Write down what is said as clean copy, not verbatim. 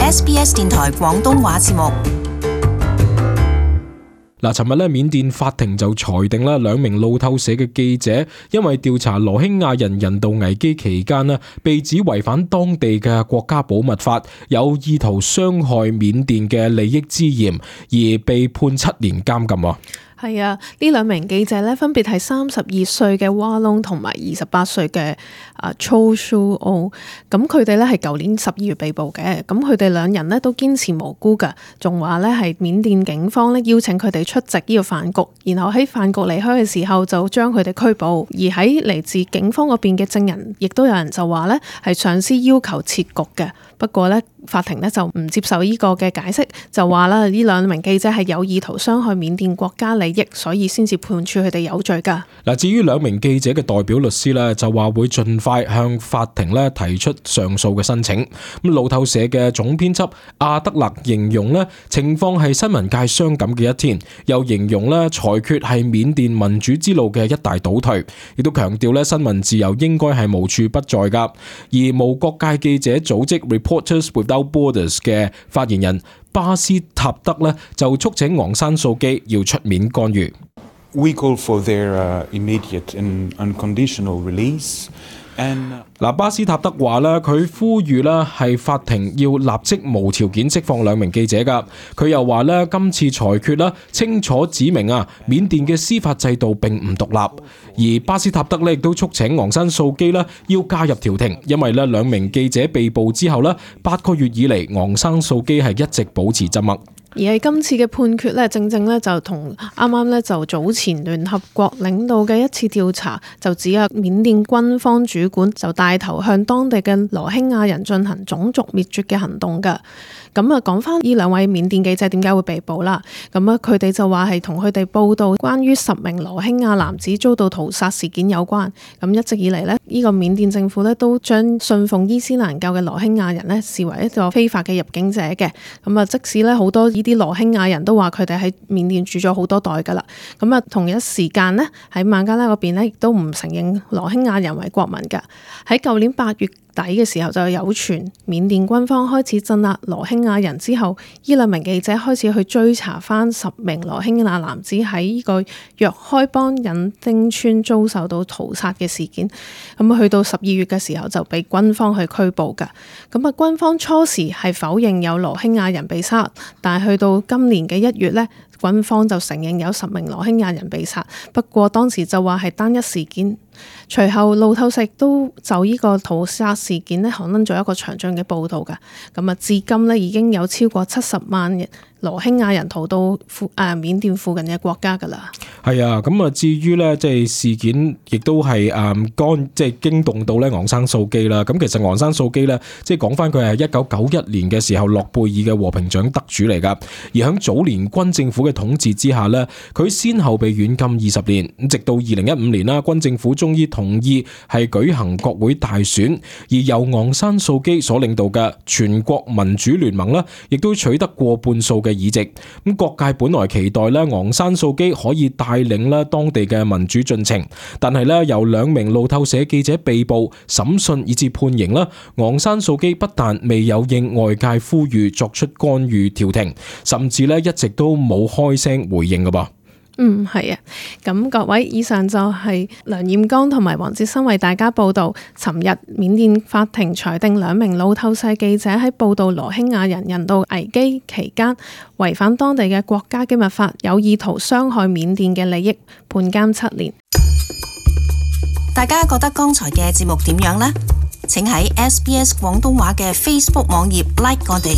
SBS 電台廣東話節目。嗱，尋日咧，緬甸法庭就裁定啦，兩名路透社嘅記者因為調查羅興亞人人道危機期間咧，被指違反當地嘅國家保密法，有意圖傷害緬甸嘅利益之嫌，而被判7年監禁。係啊，呢兩名記者咧分別係32歲嘅瓦隆同埋28歲嘅Cho Shu O。咁佢哋咧係舊年12月被捕嘅。咁佢哋兩人咧都堅持無辜㗎，仲話咧係緬甸警方咧邀請佢哋出席呢個飯局，然後喺飯局離開嘅時候就將佢哋拘捕。而喺嚟自警方嗰邊嘅證人，亦都有人就話咧係上司要求撤局嘅。不過咧法庭咧就唔接受呢個嘅解釋，就話啦呢兩名記者係有意圖傷害緬甸國家利益，所以先至判處佢哋有罪㗎。嗱，至於兩名記者嘅代表律師咧，就話會盡快向法庭咧提出上訴嘅申請。咁路透社嘅總編輯阿德勒形容咧情況係新聞界傷感嘅一天，又形容咧裁決係緬甸民主之路嘅一大倒退，亦都強調咧新聞自由應該係無處不在㗎。而無國界記者組織 Reporters Without Borders 嘅發言人巴斯塔德咧就促請昂山素基要出面干預。We call for their immediate and unconditional release. 巴斯塔德話咧，佢呼籲咧係法庭要立即無條件釋放兩名記者噶。佢又話咧，今次裁決咧清楚指明緬甸嘅司法制度並唔獨立。而巴斯塔德咧亦都促請昂山素基咧要加入調停，因為咧兩名記者被捕之後咧8個月以嚟，昂山素基係一直保持沉默。而喺今次嘅判決咧，正咧就同啱啱咧就早前聯合國領導嘅一次調查，就指緬甸軍方主管就帶頭向當地嘅羅興亞人進行種族滅絕嘅行動㗎。咁講翻呢兩位緬甸記者點解會被捕啦？咁佢哋就話係同佢哋報道關於10名羅興亞男子遭到屠殺事件有關。咁一直以嚟呢個緬甸政府呢都將信奉伊斯蘭教嘅羅興亞人呢視為一個非法嘅入境者嘅。咁即使呢好多呢啲羅興亞人都話佢哋喺緬甸住咗好多代㗎啦。咁同一時間呢喺孟加拉嗰邊呢亦都唔承認羅興亞人為國民㗎。喺舊年8月底嘅時候就有傳緬甸軍方開始鎮壓羅興亞人之後，呢兩名記者開始去追查翻10名羅興亞男子喺呢個若開邦隱丁村遭受到屠殺嘅事件。咁去到12月嘅時候就被軍方去拘捕㗎。咁軍方初時係否認有羅興亞人被殺，但係去到今年嘅1月呢，軍方就承認有10名羅興亞人被殺，不過當時就話係單一事件。隨後路透社都就呢個屠殺事件呢刊登咗一個詳盡嘅報導㗎。咁至今呢已經有超過70萬人羅興亞人逃到緬甸附近嘅國家㗎啦。係啊，咁至於呢即係事件亦都係即係驚動到呢昂山素基啦。咁其實昂山素基呢，即係講翻佢係1991年嘅時候諾貝爾嘅和平獎得主嚟㗎。而喺早年軍政府嘅統治之下呢，佢先後被軟禁20年，直到2015年啦，軍政府終於同意係舉行國會大選，而由昂山素基所領導嘅全國民主聯盟呢，亦都取得過半數嘅議席。咁各界本來期待咧昂山素基可以帶領咧當地嘅民主進程，但係咧由2名路透社記者被捕、審訊以至判刑啦，昂山素基不但未有應外界呼籲作出干預調停，甚至咧一直都冇開聲回應㗎噃。係啊，咁各位，以上就係梁艷剛同埋黃哲新為大家報道，尋日緬甸法庭裁定2名路透社記者喺報道羅興亞人人道危機期間違反當地嘅國家機密法，有意圖傷害緬甸嘅利益，判監7年。大家覺得剛才嘅節目點樣呢？請喺SBS 廣東話嘅 Facebook 網頁 like 我哋。